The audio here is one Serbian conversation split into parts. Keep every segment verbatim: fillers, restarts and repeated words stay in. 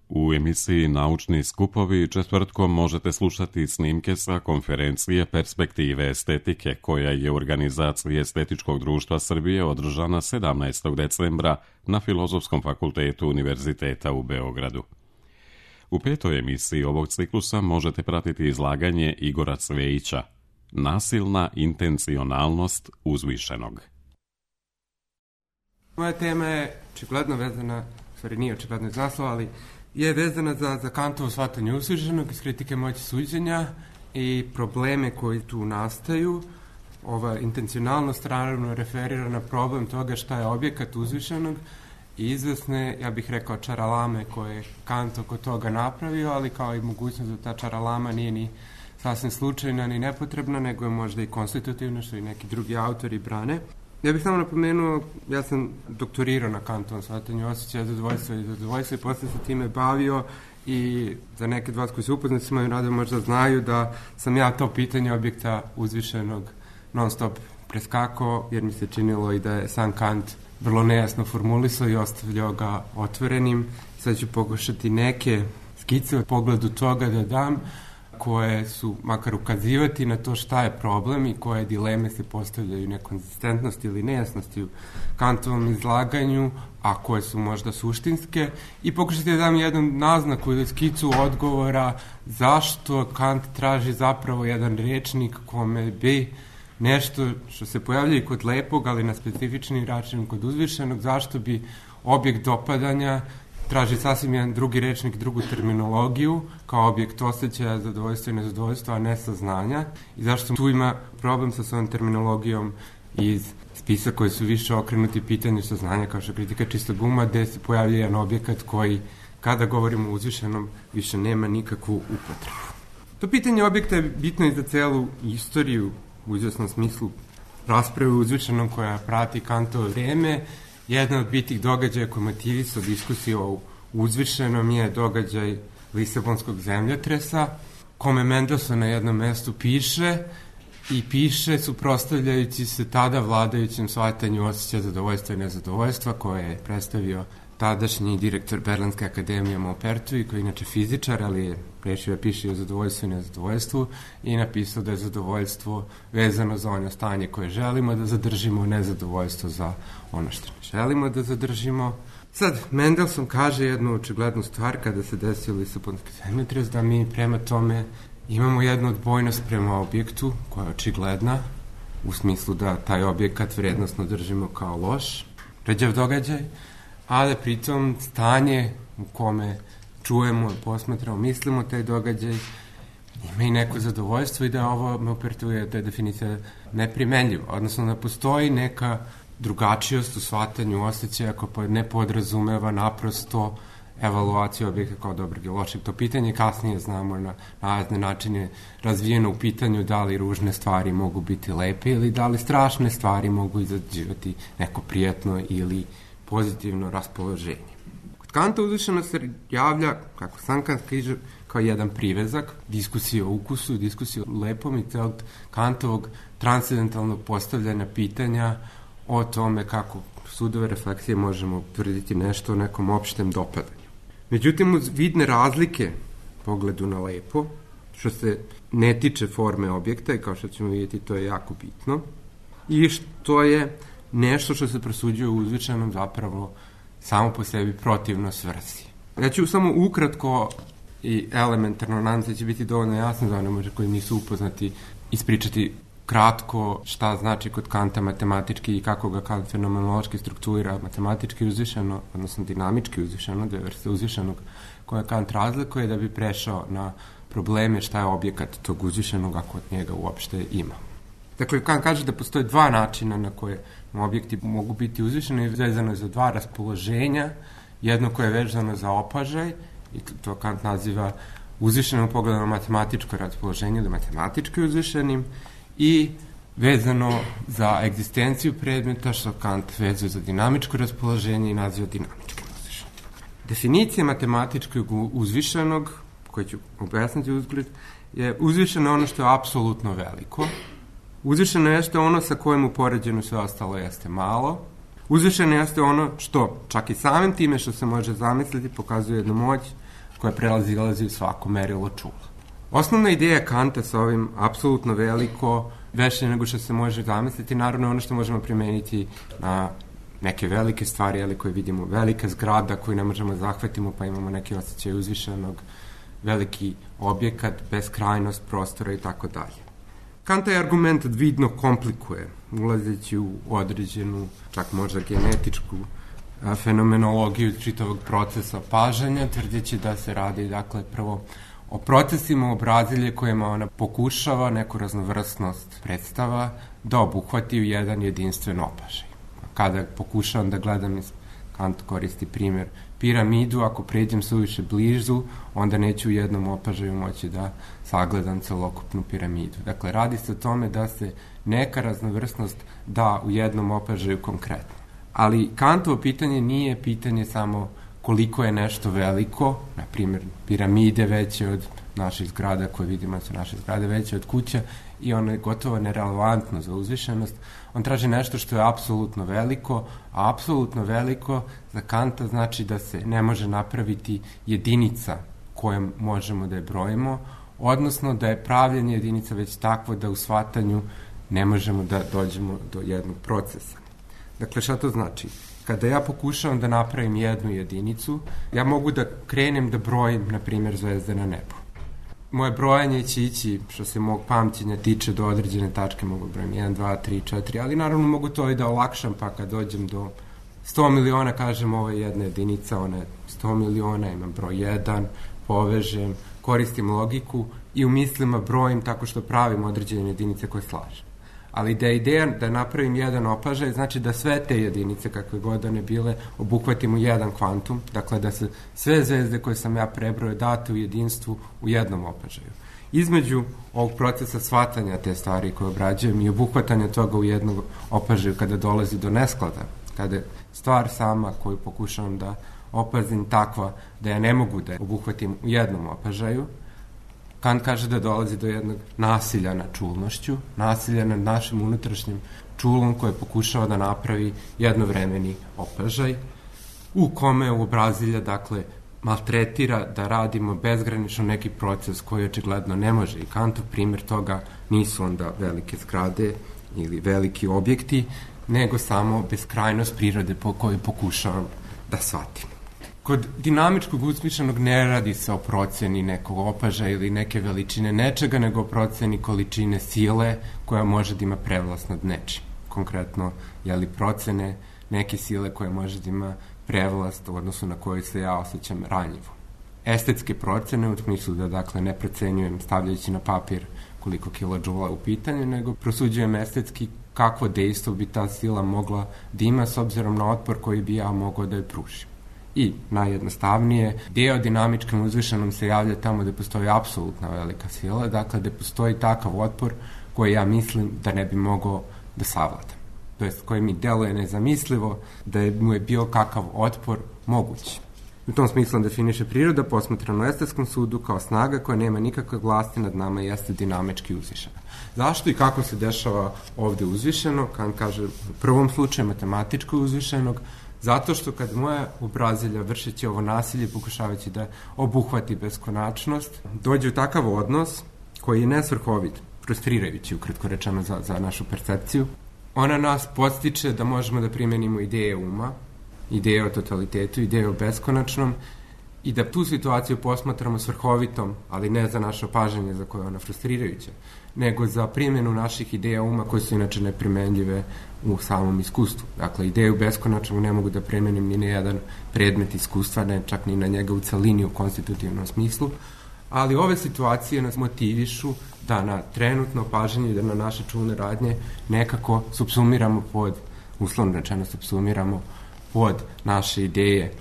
U emisiji Naučni skupovi četvrtkom možete slušati snimke sa konferencije Perspektive estetike, koja je u organizaciji Estetičkog društva Srbije održana sedamnaestog decembra na Filozofskom fakultetu Univerziteta u Beogradu. U petoj emisiji ovog ciklusa možete pratiti izlaganje Igora Cvejića Nasilna intencionalnost uzvišenog. Moja tema je očigledno vezana, stvari nije očigledno iz naslova, ali je vezana za, za Kantovo shvatanje uzvišenog iz kritike moći suđenja i probleme koji tu nastaju. Ova intencionalnost naravno referira na problem toga šta je objekat uzvišenog i izvesne, ja bih rekao, čaralame koje je Kant oko toga napravio, ali kao i mogućnost da ta čaralama nije ni sasvim slučajna ni nepotrebna, nego je možda i konstitutivna, što i neki drugi autori brane. Ja bih samo napomenuo, ja sam doktorirao na Kantovom shvatanju osjećaja zadovoljstva i zadovoljstva i posle se time bavio i za neke od vas koji se upoznati s mojim radom možda znaju da sam ja to pitanje objekta uzvišenog non stop preskakao, jer mi se činilo i da je sam Kant vrlo nejasno formulisao i ostavljao ga otvorenim. Sad ću pokušati neke skice u pogledu toga da dam, koje su makar ukazivati na to šta je problem i koje dileme se postavljaju nekonzistentnosti ili nejasnosti u Kantovom izlaganju, a koje su možda suštinske, i pokušati da dam jednu naznaku ili skicu odgovora zašto Kant traži zapravo jedan rečnik kome bi nešto što se pojavlja i kod lepog, ali na specifični način kod uzvišenog, zašto bi objekt dopadanja traži sasvim jedan drugi rečnik, drugu terminologiju, kao objekt osjećaja, zadovoljstva i nezadovoljstva, a ne saznanja. I zašto tu ima problem sa svojom terminologijom iz spisa koji su više okrenuti pitanju saznanja, kao što kritika čistog uma, gde se pojavlja jedan objekat koji, kada govorimo o uzvišenom, više nema nikakvu upotrebu. To pitanje objekta je bitno i za celu istoriju, u izvesnom smislu rasprave o uzvišenom koja prati Kantovo vreme. Jedan od bitnih događaja koji motivisao diskusiju o uzvišenom je događaj Lisabonskog zemljotresa, kome Mendelssohn na jednom mestu piše i piše suprotstavljajući se tada vladajućem shvatanju osjećaja zadovoljstva i nezadovoljstva, koje je predstavio tadašnji direktor Berlinske akademije Maupertuis, koji je inače fizičar, ali je rešio da piše o zadovoljstvu i nezadovoljstvu i napisao da je zadovoljstvo vezano za ono stanje koje želimo da zadržimo, nezadovoljstvo za ono što ne želimo da zadržimo. Sad, Mendelssohn kaže jednu očiglednu stvar kada se desio Lisabonski zemljotres, da mi prema tome imamo jednu odbojnost prema objektu koja je očigledna, u smislu da taj objekat vrednostno držimo kao loš, ređav događaj, a da pritom stanje u kome čujemo, posmatramo, mislimo taj događaj ima i neko zadovoljstvo i da ovo Maupertuis, da je definicija neprimenljiva, odnosno da postoji neka drugačijost u shvatanju osjećaja koja ne podrazumeva naprosto evaluaciju objekta kao dobrog i lošeg. To pitanje kasnije znamo na razne načine razvijeno u pitanju da li ružne stvari mogu biti lepe ili da li strašne stvari mogu izađivati neko prijatno ili pozitivno raspoloženje. Kod Kanta uzvišeno se javlja, kako sam Kant kaže, kao jedan privezak, diskusije o ukusu, diskusije o lepom i celog Kantovog transcendentalnog postavljanja pitanja o tome kako sudove refleksije možemo tvrditi nešto o nekom opštem dopadanju. Međutim, uz vidne razlike pogledu na lepo, što se ne tiče forme objekta, i kao što ćemo vidjeti, to je jako bitno, i što je nešto što se presuđuje u uzvišenom zapravo samo po sebi protivno svrsi. Ja ću samo ukratko i elementarno, nadam se će biti dovoljno jasno za one možda koji nisu upoznati, ispričati kratko šta znači kod Kanta matematički i kako ga Kant fenomenološki struktura matematički uzvišeno, odnosno dinamički uzvišeno, dve vrste uzvišenog koje Kant razlikuje, da bi prešao na probleme šta je objekat tog uzvišenog ako od njega uopšte ima. Dakle, Kant kaže da postoje dva načina na koje objekti mogu biti uzvišeni i vezano za dva raspoloženja, jedno koje je vezano za opažaj, i to Kant naziva uzvišenom pogledom na matematičko raspoloženje ili matematički uzvišenim, i vezano za egzistenciju predmeta, što Kant vezuje za dinamičko raspoloženje i naziva dinamički uzvišenim. Definicija matematičkog uzvišenog, koju ću objasniti uzgled, je uzvišeno ono što je apsolutno veliko, uzvišeno jeste ono sa kojim u poređenju sve ostalo jeste malo, uzvišeno jeste ono što čak i samim time što se može zamisliti pokazuje jednu moć, koja prelazilazi u svako merilo čula. Osnovna ideja Kanta sa ovim apsolutno veliko, veće nego što se može zamisliti, naravno ono što možemo primeniti na neke velike stvari, ali koje vidimo, velika zgrada koju ne možemo zahvatimo, pa imamo neki osjećaj uzvišenog, veliki objekat, beskrajnost prostora i tako dalje. Kant je argument vidno komplikuje, ulazeći u određenu, čak možda genetičku a, fenomenologiju čitavog procesa pažanja, tvrdeći da se radi, dakle, prvo o procesima obrazilje kojima ona pokušava neku raznovrstnost predstava da obuhvati u jedan jedinstven opažaj. Kada pokušavam da gledam, Kant koristi primjer piramidu, ako pređem suviše blizu, onda neću u jednom opažaju moći da sagledam celokupnu piramidu. Dakle, radi se o tome da se neka raznovrstnost da u jednom opažaju konkretno. Ali Kantovo pitanje nije pitanje samo koliko je nešto veliko, na primjer piramide veće od naših zgrada koje vidimo su naše zgrade veće od kuća i ono je gotovo nerelevantno za uzvišenost. On traži nešto što je apsolutno veliko, a apsolutno veliko za Kanta znači da se ne može napraviti jedinica kojom možemo da je brojimo, odnosno da je pravljenje jedinica već takvo da u shvatanju ne možemo da dođemo do jednog procesa. Dakle, šta to znači? Kada ja pokušavam da napravim jednu jedinicu, ja mogu da krenem da brojim, na primjer, zvezde na nebu. Moje brojanje će ići, što se mog pamćenja tiče, do određene tačke, mogu brojim jedan, dva, tri, četiri, ali naravno mogu to i da olakšam, pa kad dođem do sto miliona, kažem ovo je jedna jedinica, ona je sto miliona, imam broj jedan, povežem, koristim logiku i u mislima brojim tako što pravim određene jedinice koje slažem. Ali da je ideja da napravim jedan opažaj, znači da sve te jedinice, kakve god one bile, obuhvatim u jedan kvantum, dakle da se sve zvezde koje sam ja prebrojao date u jedinstvu u jednom opažaju. Između ovog procesa shvatanja te stvari koje obrađujem i obuhvatanja toga u jednom opažaju kada dolazi do nesklada, kada je stvar sama koju pokušavam da opazim takva da ja ne mogu da je obuhvatim u jednom opažaju, Kant kaže da dolazi do jednog nasilja nad čulnošću, nasilja nad našim unutrašnjim čulom koje pokušava da napravi jednovremeni opažaj, u kome uobrazilja, dakle, maltretira da radimo bezgranično neki proces koji očigledno ne može. I Kantov primjer toga nisu onda velike zgrade ili veliki objekti, nego samo beskrajnost prirode po kojoj pokušavam da shvatim. Kod dinamičkog usmišljenog ne radi se o proceni nekog opažaja ili neke veličine nečega, nego o proceni količine sile koja može da ima prevlast nad nečim. Konkretno, jeli procene neke sile koja može da ima prevlast u odnosu na koju se ja osjećam ranjivo. Estetske procene, u smislu da, dakle, ne procenjujem stavljajući na papir koliko kilodžula u pitanju, nego prosuđujem estetski kakvo dejstvo bi ta sila mogla da ima s obzirom na otpor koji bi ja mogao da je pružim. I najjednostavnije, deo dinamičkom uzvišenom se javlja tamo gde postoji apsolutna velika sila, dakle gde postoji takav otpor koji ja mislim da ne bi mogao da savladam. To jest koji mi deluje nezamislivo da je, mu je bio kakav otpor mogući. U tom smislu definiše priroda posmatrano u estetskom sudu kao snaga koja nema nikakve vlasti nad nama i jeste dinamički uzvišena. Zašto i kako se dešava ovde uzvišeno? Kant kaže u prvom slučaju matematičko uzvišenog, zato što kad moja obrazilja vršeći ovo nasilje, pokušavajući da obuhvati beskonačnost, dođe u takav odnos koji je nesvrhovit, frustrirajući, ukratko rečeno za, za našu percepciju. Ona nas podstiče da možemo da primenimo ideje uma, ideje o totalitetu, ideje o beskonačnom i da tu situaciju posmatramo svrhovitom, ali ne za naše opažanje za koje je ona frustrirajuća, nego za primjenu naših ideja uma koje su inače neprimenljive u samom iskustvu. Dakle, ideju beskonačnog ne mogu da primenim ni na jedan predmet iskustva, ne čak ni na njega u celini u konstitutivnom smislu, ali ove situacije nas motivišu da na trenutno opažanje i da na naše čulne radnje nekako subsumiramo pod, uslovno rečeno subsumiramo pod naše ideje,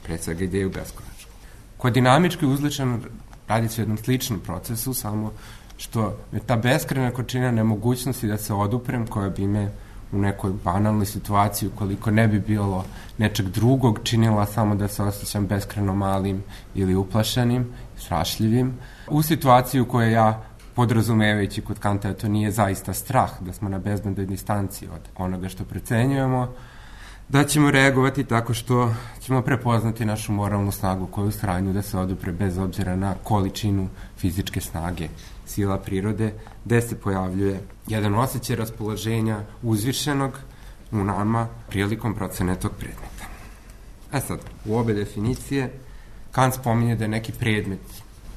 pre svega ideju beskonačnog. Kod dinamički uzličeno radi se o jednom sličnom procesu, samo što je ta beskrajna količina nemogućnosti da se oduprem, koja bi me u nekoj banalnoj situaciji, ukoliko ne bi bilo nečeg drugog, činila samo da se osjećam beskrajno malim ili uplašenim, strašljivim, u situaciji u kojoj ja, podrazumevajući kod Kanta, to nije zaista strah, da smo na bezbednoj distanci od onoga što procenjujemo, da ćemo reagovati tako što ćemo prepoznati našu moralnu snagu koju u stanju da se odupre bez obzira na količinu fizičke snage, sila prirode, gde se pojavljuje jedan osjećaj raspoloženja uzvišenog u nama prilikom procene tog predmeta. E sad, u obe definicije Kant spominje da je neki predmet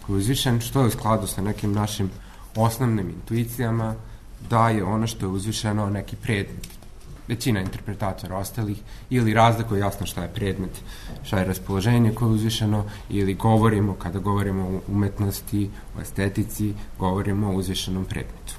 koji je uzvišen, što je u skladu sa nekim našim osnovnim intuicijama, da je ono što je uzvišeno neki predmet. Većina interpretatora ostalih ili razlikuje jasno šta je predmet, šta je raspoloženje koje je uzvišeno, ili govorimo, kada govorimo o umetnosti, o estetici, govorimo o uzvišenom predmetu.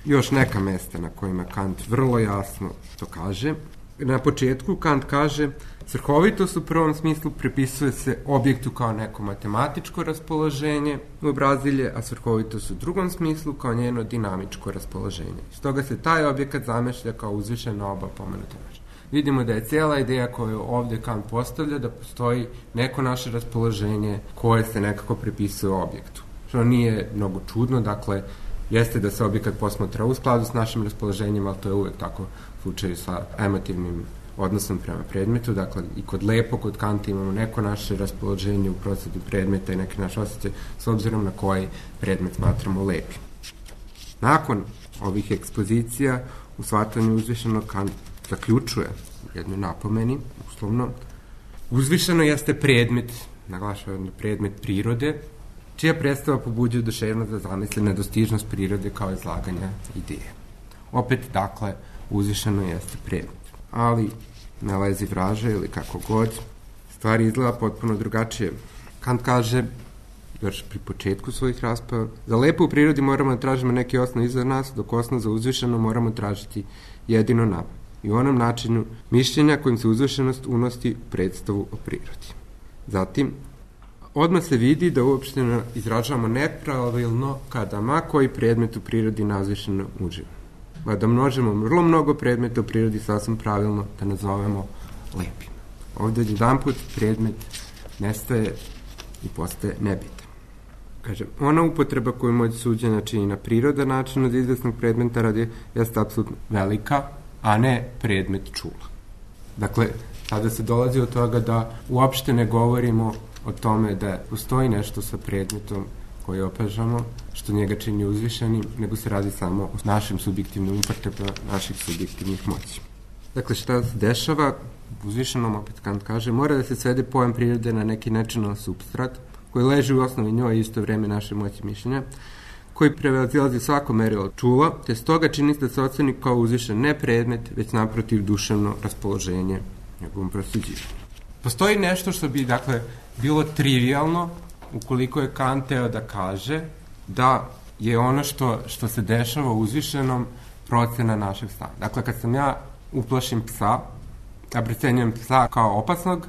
Još neka mesta na kojima Kant vrlo jasno to kaže. Na početku Kant kaže: svrhovitost u prvom smislu pripisuje se objektu kao neko matematičko raspoloženje obrazilje, a svrhovitost u drugom smislu kao njeno dinamičko raspoloženje. Stoga se taj objekat zamešlja kao uzvišen na oba pomenuta načina. Vidimo da je cijela ideja koju ovdje Kant postavlja da postoji neko naše raspoloženje koje se nekako pripisuje objektu. Što nije mnogo čudno, dakle, jeste da se objekat posmatra u skladu s našim raspoloženjem, ali to je uvek tako u slučaju sa emotivnim odnosom prema predmetu. Dakle, i kod lepo, kod Kanta imamo neko naše raspoloženje u procedu predmeta i neki naš osjećaj s obzirom na koji predmet smatramo lepim. Nakon ovih ekspozicija u shvatanju uzvišenog Kant zaključuje jednu napomeni, uslovno. Uzvišeno jeste predmet, naglašava predmet prirode, čija predstava pobuđuje oduševnost da zamisli nedostižnost prirode kao izlaganja ideje. Opet, dakle, uzvišeno jeste predmet. Ali, na lezi vraže ili kako god, stvari izgleda potpuno drugačije. Kant kaže, još pri početku svojih rasprava, za lepo u prirodi moramo da tražimo neki osnov iza nas, dok osnov za uzvišeno moramo tražiti jedino nam. I u onom načinu mišljenja kojim se uzvišenost unosi u predstavu o prirodi. Zatim, odmah se vidi da uopšte izražavamo nepravilno kada ma koji predmet u prirodi nazvišeno uživa. Pa da množimo vrlo mnogo predmeta u prirodi sasvim pravilno da nazovemo lepim. Ovdje jedan put predmet nestaje i postaje nebitan. Kaže, ona upotreba koju moć suđenja čini na prirodan način od izvesnog predmeta radi jeste apsolutno velika, a ne predmet čula. Dakle, sada se dolazi od toga da uopšte ne govorimo o tome da postoji nešto sa predmetom koji opažamo, što njega čini uzvišenim, nego se radi samo o našim subjektivnim upotrebama naših subjektivnih moći. Dakle, šta se dešava? Uzvišenom, opet Kant kaže, mora da se svede pojam prirode na neki način supstrat, koji leži u osnovi njoj i isto vreme naše moći mišljenja, koji prevazilazi svako merilo čula, te stoga čini se da se oceni kao uzvišen ne predmet, već naprotiv duševno raspoloženje njegovom prosuđivanju. Postoji nešto što bi, dakle, bilo trivialno ukoliko je Kant teo da kaže da je ono što, što se dešava u uzvišenom procena našeg stanja. Dakle, kad sam ja uplašim psa, ja procenjujem psa kao opasnog,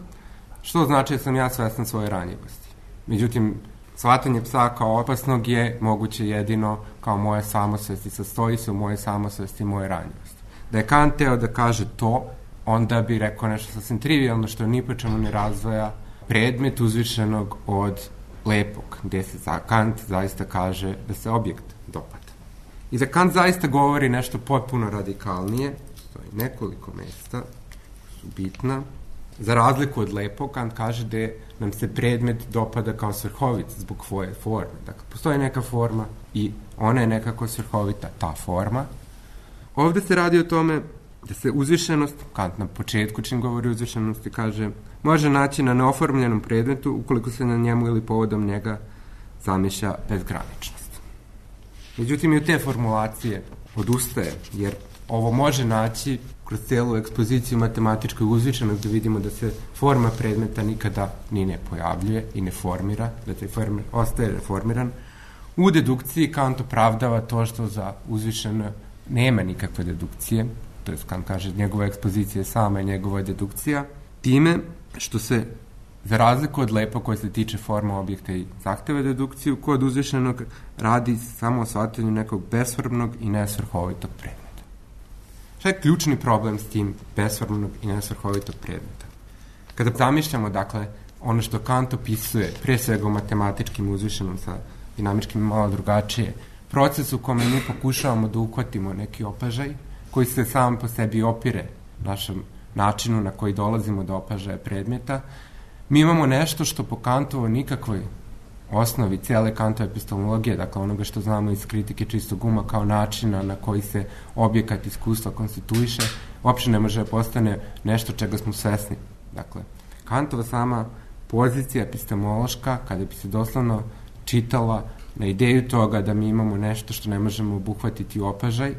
što znači da sam ja svestan svoje ranjivosti. Međutim, shvatanje psa kao opasnog je moguće jedino kao moje samosvesti, sastoji se u moje samosvesti i moje ranjivosti. Da je Kant teo da kaže to, onda bi rekao nešto sasvim trivialno što ni po čemu ne razvoja predmet uzvišenog od lepog, gde se za Kant zaista kaže da se objekt dopada. I da Kant zaista govori nešto potpuno radikalnije, stoji nekoliko mesta su bitna. Za razliku od lepog, Kant kaže da nam se predmet dopada kao svrhovit zbog svoje forme. Dakle, postoji neka forma i ona je nekako svrhovita, ta forma. Ovde se radi o tome da se uzvišenost, Kant na početku čim govori o uzvišenosti kaže, može naći na neoformljenom predmetu ukoliko se na njemu ili povodom njega zamišlja bezgraničnost. Međutim, i u te formulacije odustaje, jer ovo može naći kroz celu ekspoziciju matematičkoj uzvišenog da vidimo da se forma predmeta nikada ni ne pojavljuje i ne formira, da se formir, ostaje formiran. U dedukciji Kant opravdava to što za uzvišeno nema nikakve dedukcije, to je Kant kaže njegova ekspozicija je sama i njegova dedukcija, time što se za razliku od lepo koje se tiče forma objekta i zahteva dedukciju, kod uzvišenog radi samo o shvatanju nekog besformnog i nesvrhovitog predmeta. Šta je ključni problem s tim besformnog i nesvrhovitog predmeta? Kada zamišljamo, dakle, ono što Kant opisuje, pre svega u matematičkim uzvišenom sa dinamičkim malo drugačije, proces u kome mi pokušavamo da uhvatimo neki opažaj koji se sam po sebi opire našem načinu na koji dolazimo do opažaja predmeta. Mi imamo nešto što po Kantovo nikakvoj osnovi cijele Kantove epistemologije, dakle onoga što znamo iz kritike čistog uma kao načina na koji se objekat iskustva konstituiše, uopšte ne može da postane nešto čega smo svesni. Dakle, Kantova sama pozicija epistemološka, kada bi se doslovno čitala na ideju toga da mi imamo nešto što ne možemo obuhvatiti u opažaj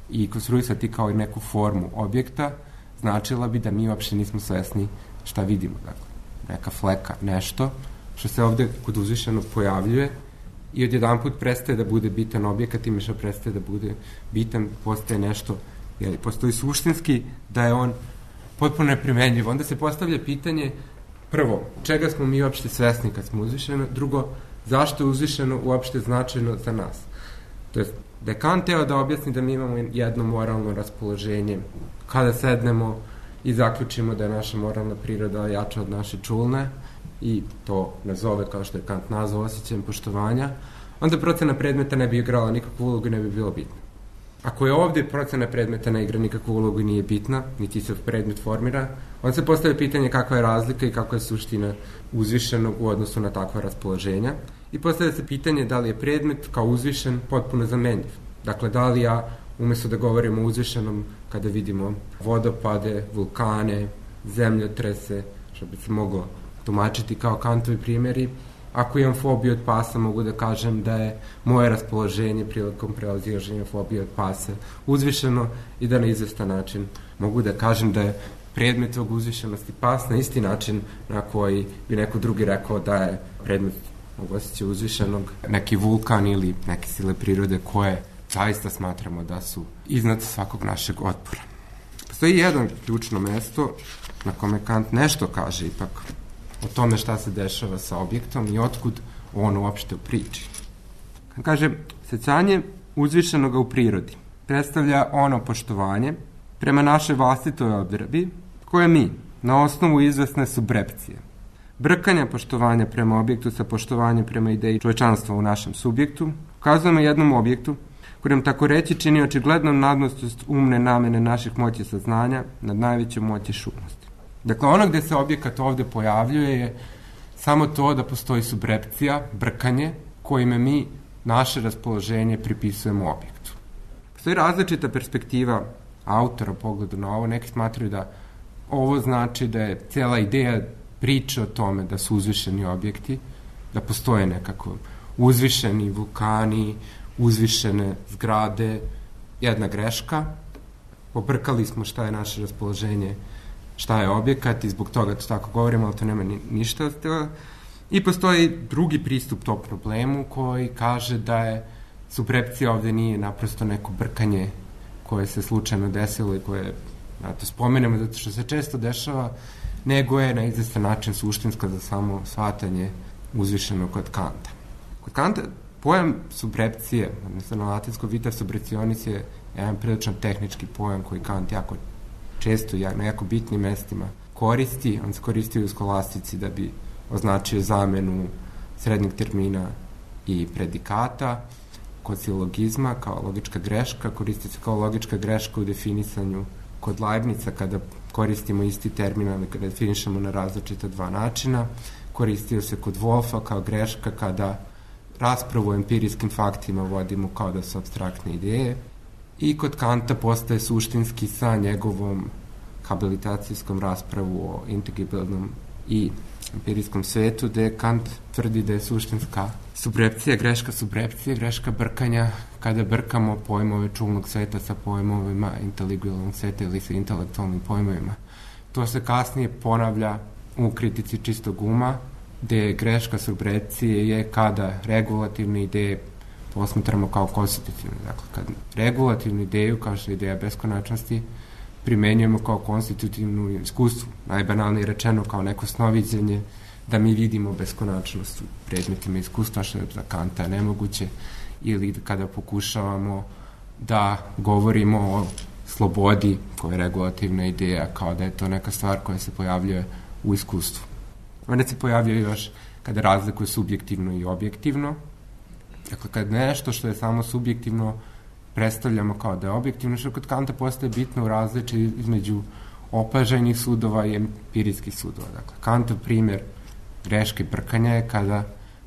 i konstruisati kao i neku formu objekta, značila bi da mi uopšte nismo svesni šta vidimo. Dakle, neka fleka, nešto što se ovde kod uzvišenog pojavljuje i odjedanput prestaje da bude bitan objekat i što prestaje da bude bitan, postaje nešto, jeli, postoji suštinski da je on potpuno neprimenljiv. Onda se postavlja pitanje, prvo, čega smo mi uopšte svesni kad smo uzvišeno, drugo, zašto je uzvišeno uopšte značajno za nas. To je, da je Kant teo da objasni da mi imamo jedno moralno raspoloženje kada sednemo i zaključimo da je naša moralna priroda jača od naše čulne i to nazove, kao što je Kant nazvao, osjećajem poštovanja, onda procena predmeta ne bi igrala nikakvu ulogu i ne bi bilo bitna. Ako je ovde procena predmeta ne igra nikakvu ulogu i nije bitna, niti se predmet formira, onda se postavlja pitanje kakva je razlika i kakva je suština uzvišenog u odnosu na takva raspoloženja i postavlja se pitanje da li je predmet kao uzvišen potpuno zamenljiv. Dakle, da li ja, umesto da govorimo o uzvišenom kada vidimo vodopade, vulkane, zemljotrese, što bi se moglo tumačiti kao Kantovi primjeri, ako imam fobiju od pasa, mogu da kažem da je moje raspoloženje prilikom prelazilaženja fobije od pasa uzvišeno i da na izvestan način mogu da kažem da je predmet tog uzvišenosti pas na isti način na koji bi neko drugi rekao da je predmet mogu osjećaja uzvišenog neki vulkan ili neke sile prirode koje zaista smatramo da su iznad svakog našeg otpora. Postoji jedan ključno mesto na kome Kant nešto kaže ipak o tome šta se dešava sa objektom i otkud on uopšte u priči. Kaže, sećanje uzvišenoga u prirodi predstavlja ono poštovanje prema našoj vlastitoj odredbi koje mi, na osnovu izvesne subrepcije, brkanja poštovanja prema objektu sa poštovanjem prema ideji čovečanstva u našem subjektu, ukazujemo jednom objektu koji nam tako reći čini očiglednom nadmoćnost umne namene naših moći saznanja nad najvećom moći šumnosti. Dakle, ono gde se objekat ovde pojavljuje je samo to da postoji subrepcija, brkanje, kojime mi naše raspoloženje pripisujemo objektu. Postoji različita perspektiva autora u pogledu na ovo. Neki smatraju da ovo znači da je cijela ideja priče o tome da su uzvišeni objekti, da postoje nekako uzvišeni vulkani, uzvišene zgrade, jedna greška. Pobrkali smo šta je naše raspoloženje, šta je objekat i zbog toga to tako govorimo, ali to nema ni, ništa od toga. I postoji drugi pristup tom problemu koji kaže da je subrepcija ovde nije naprosto neko brkanje koje se slučajno desilo i koje, ja to spomenemo zato što se često dešava, nego je na izvestan način suštinska za samo shvatanje uzvišeno kod Kanta. Kod Kanta pojam subrepcije, odnosno na latinsko vita subrecionis je jedan prilično tehnički pojam koji Kant jako često na jako bitnim mestima koristi. On se koristi u skolastici da bi označio zamenu srednjeg termina i predikata. Kod silogizma kao logička greška, koristi se kao logička greška u definisanju kod Leibnica kada koristimo isti termin, ali kada definišemo na različita dva načina. Koristio se kod Wolfa kao greška kada raspravu o empirijskim faktima vodimo kao da su apstraktne ideje. I kod Kanta postaje suštinski sa njegovom habilitacijskom raspravu o integibilnom i empirijskom svetu, gde Kant tvrdi da je suštinska subrepcija, greška subrepcije, greška brkanja, kada brkamo pojmove čulnog sveta sa pojmovima inteligibilnog sveta ili sa intelektualnim pojmovima. To se kasnije ponavlja u kritici čistog uma, gde greška subrepcije je kada regulativne ideje posmatramo kao konstitutivne. Dakle, kad regulativnu ideju, kao što je ideja beskonačnosti, primenjujemo kao konstitutivnu iskustvu, najbanalnije rečeno kao neko snoviđenje, da mi vidimo beskonačnost u predmetima iskustva, što je za Kanta nemoguće, ili kada pokušavamo da govorimo o slobodi, koja je regulativna ideja, kao da je to neka stvar koja se pojavljuje u iskustvu. Onda se pojavljuje još kada razlikuje subjektivno i objektivno. Dakle, kad nešto što je samo subjektivno predstavljamo kao da je objektivno, što kod Kanta postaje bitno u različi između opažajnih sudova i empirijskih sudova. Dakle, Kantov primjer greške brkanja je kada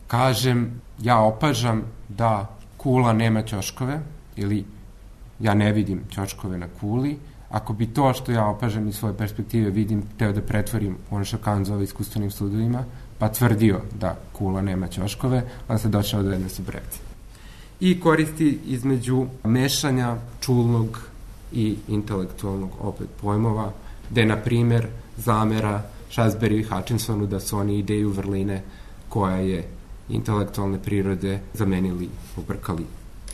kažem ja opažam da kula nema ćoškove ili ja ne vidim ćoškove na kuli. Ako bi to što ja opažam iz svoje perspektive vidim, teo da pretvorim ono što Kant zove iskustvenim sudovima, pa tvrdio da kula nema ćoškove, onda se došao do jedne subrepcije. I koristi između mešanja čulnog i intelektualnog opet pojmova, gde, na primjer, zamera Šasberiju i Hutchinsonu da su oni ideju vrline koja je intelektualne prirode zamenili, pobrkali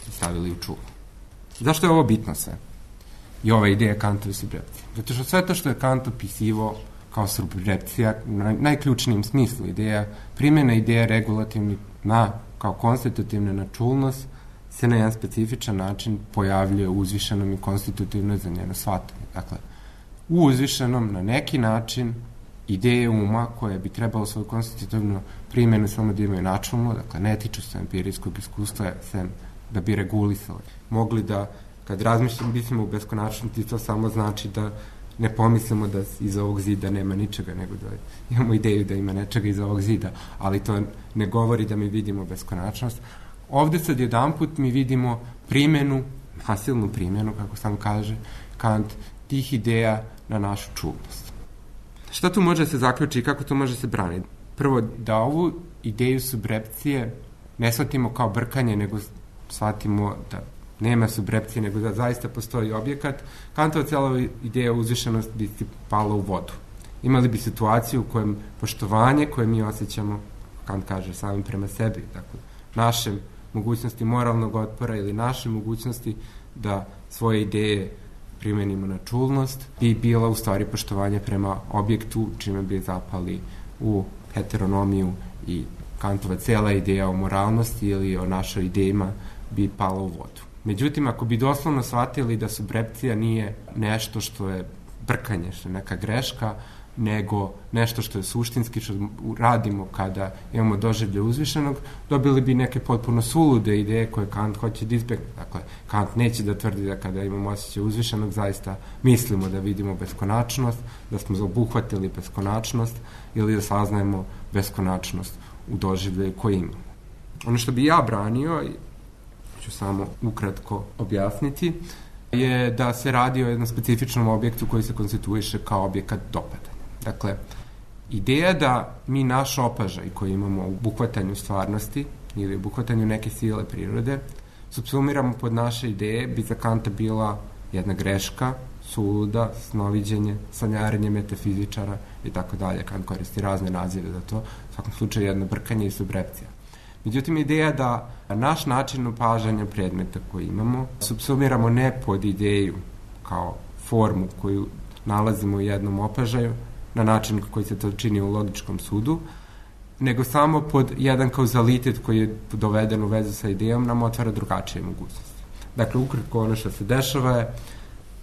i stavili u čulo. Zašto je ovo bitno sve? I ova ideja Kantove subrepcije. Zato što sve to što je Kant opisivao kao subrepcija, na najključnijem smislu ideja, primjena ideja regulativnih na, kao konstitutivna na čulnost, se na jedan specifičan način pojavljuje u uzvišenom i konstitutivno za njeno shvatanje. Dakle, u uzvišenom na neki način ideje uma koje bi trebalo svoju konstitutivnu primjenu samo da imaju načelno, dakle ne tiču se empirijskog iskustva, sem da bi regulisali. Mogli da, kad razmišljamo, mislimo u beskonačnosti, to samo znači da ne pomislimo da iza ovog zida nema ničega, nego da imamo ideju da ima nečega iza ovog zida, ali to ne govori da mi vidimo beskonačnost. Ovde sad jedanput mi vidimo primjenu, nasilnu primjenu, kako sam kaže Kant, tih ideja na našu čulnost. Šta tu može se zaključiti i kako to može se braniti? Prvo, da ovu ideju subrepcije ne shvatimo kao brkanje, nego shvatimo da nema subrepcije, nego da zaista postoji objekat. Kantova cijela ideja uzvišenost bi pala u vodu. Imali bi situaciju u kojem poštovanje koje mi osjećamo, Kant kaže, samim prema sebi, dakle, naše mogućnosti moralnog otpora ili naše mogućnosti da svoje ideje primenimo na čulnost, bi bila u stvari poštovanje prema objektu, čime bi zapali u heteronomiju i Kantova cijela ideja o moralnosti ili o našoj idejima bi pala u vodu. Međutim, ako bi doslovno shvatili da subrepcija nije nešto što je brkanje, što je neka greška, nego nešto što je suštinski, što radimo kada imamo doživlje uzvišenog, dobili bi neke potpuno sulude ideje koje Kant hoće da izbjegne. Dakle, Kant neće da tvrdi da kada imamo osjećaj uzvišenog, zaista mislimo da vidimo beskonačnost, da smo obuhvatili beskonačnost ili da saznajemo beskonačnost u doživlje koje imamo. Ono što bi ja branio, ću samo ukratko objasniti, je da se radi o jednom specifičnom objektu koji se konstituiše kao objekat dopadanja. Dakle, ideja da mi naš opažaj koji imamo u obuhvatanju stvarnosti ili u obuhvatanju neke sile prirode subsumiramo pod naše ideje bi za Kanta bila jedna greška, suluda, snoviđenje, sanjarenje metafizičara i tako dalje. Kant koristi razne nazive za to, u svakom slučaju jedno brkanje i subrepcija. Međutim, ideja da naš način opažanja predmeta koji imamo subsumiramo ne pod ideju kao formu koju nalazimo u jednom opažaju, na način koji se to čini u logičkom sudu, nego samo pod jedan kauzalitet koji je doveden u vezu sa idejom nam otvara drugačije mogućnosti. Dakle, ukratko ono što se dešava je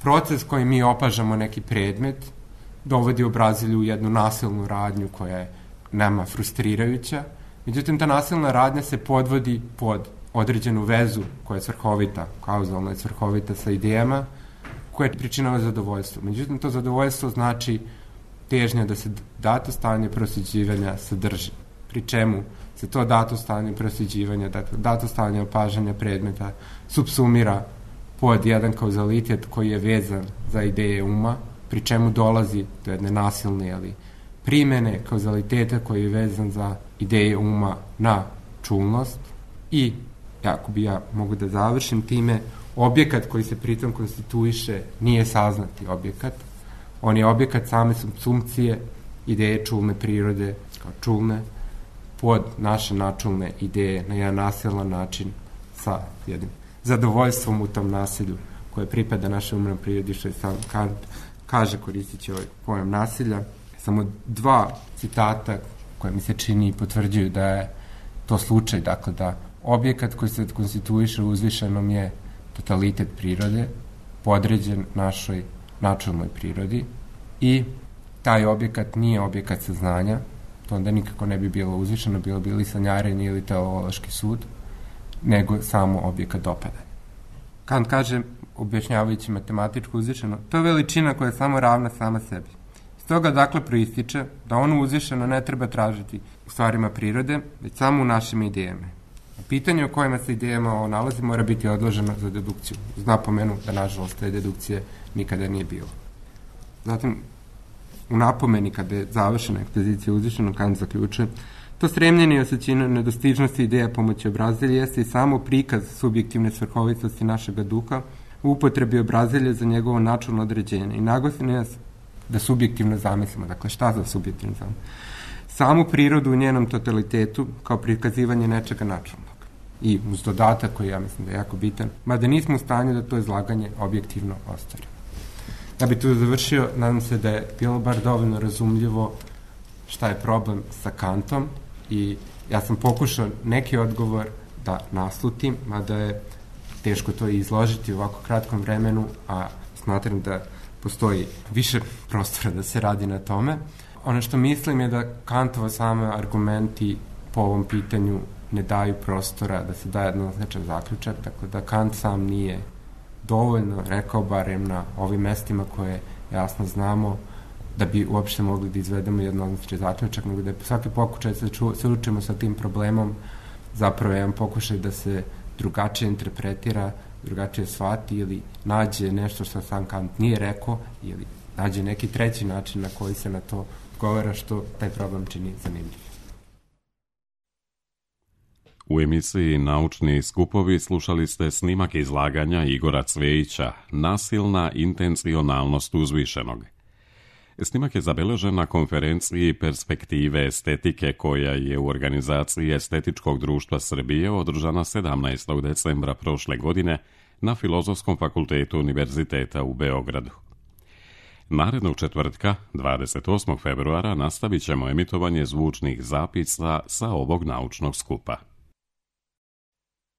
proces koji mi opažamo neki predmet dovodi obrazilju u jednu nasilnu radnju koja je nama frustrirajuća. Međutim, ta nasilna radnja se podvodi pod određenu vezu koja je svrhovita, kauzalna je svrhovita sa idejama, koja pričinava zadovoljstvo. Međutim, to zadovoljstvo znači težnja da se dato stanje prosjeđivanja sadrži. Pri čemu se to dato stanje prosjeđivanja, dakle, dato stanje opažanja predmeta subsumira pod jedan kauzalitet koji je vezan za ideje uma, pri čemu dolazi do jedne nasilne ali primene kauzaliteta koji je vezan za ideje uma na čulnost i, ako bi ja mogu da završim time, objekat koji se pritom konstituiše nije saznati objekat, on je objekat same subsumpcije ideje čulne prirode kao čulne pod naše načulne ideje na jedan nasilan način sa jednim zadovoljstvom u tom nasilju koje pripada našoj umnoj prirodi, što je sam Kant kaže koristići ovaj pojam nasilja. Samo dva citata koje mi se čini i potvrđuju da je to slučaj, dakle da objekat koji se konstituiše u uzvišenom je totalitet prirode, podređen našoj načelnoj prirodi i taj objekat nije objekat saznanja, to onda nikako ne bi bilo uzvišeno, bilo bi ili sanjarenje ili teleološki sud, nego samo objekat dopadanja. Kant kaže, objašnjavajući matematičku uzvišeno, to je veličina koja je samo ravna sama sebi. Iz toga dakle proističe da ono uzvišeno ne treba tražiti u stvarima prirode, već samo u našim idejama. Pitanje o kojima se idejama ovo nalazi mora biti odloženo za dedukciju. Uz napomenu da, nažalost, te dedukcije nikada nije bilo. Zatim, u napomeni, kada je završena ekspozicija uzvišenog, Kant zaključuje, to stremljenje i osjećanje nedostižnosti ideja pomoći obrazilja jeste i samo prikaz subjektivne svrhovitosti našega duha u upotrebi obrazilja za njegovo načelno određenje i naglasno je da subjektivno zamislimo. Dakle, šta za subjektivno zamislimo? Samu prirodu u njenom totalitetu kao prikazivanje nečega načelnog. I uz dodatak koji ja mislim da je jako bitan, mada nismo u stanju da to izlaganje objektivno ostvarimo. Da bi tu završio, nadam se da je bilo bar dovoljno razumljivo šta je problem sa Kantom i ja sam pokušao neki odgovor da naslutim, mada je teško to i izložiti u ovako kratkom vremenu, a smatram da postoji više prostora da se radi na tome. Ono što mislim je da Kantova same argumenti po ovom pitanju ne daju prostora da se daje jednoznačan zaključak, tako da Kant sam nije dovoljno rekao, barem na ovim mestima koje jasno znamo, da bi uopšte mogli da izvedemo jednoznačan zaključak, nego da je svaki pokušaj da se učimo sa tim problemom zapravo jedan pokušaj da se drugačije interpretira, drugačije shvati ili nađe nešto što sam Kant nije rekao ili nađe neki treći način na koji se na to govora, što taj problem čini zanimljiv. U emisiji Naučni skupovi slušali ste snimak izlaganja Igora Cvejića Nasilna intencionalnost uzvišenog. Snimak je zabeležen na konferenciji Perspektive estetike koja je u organizaciji Estetičkog društva Srbije održana sedamnaestog decembra prošle godine na Filozofskom fakultetu Univerziteta u Beogradu. Narednog četvrtka, dvadeset osmog februara, nastavit ćemo emitovanje zvučnih zapisa sa ovog naučnog skupa.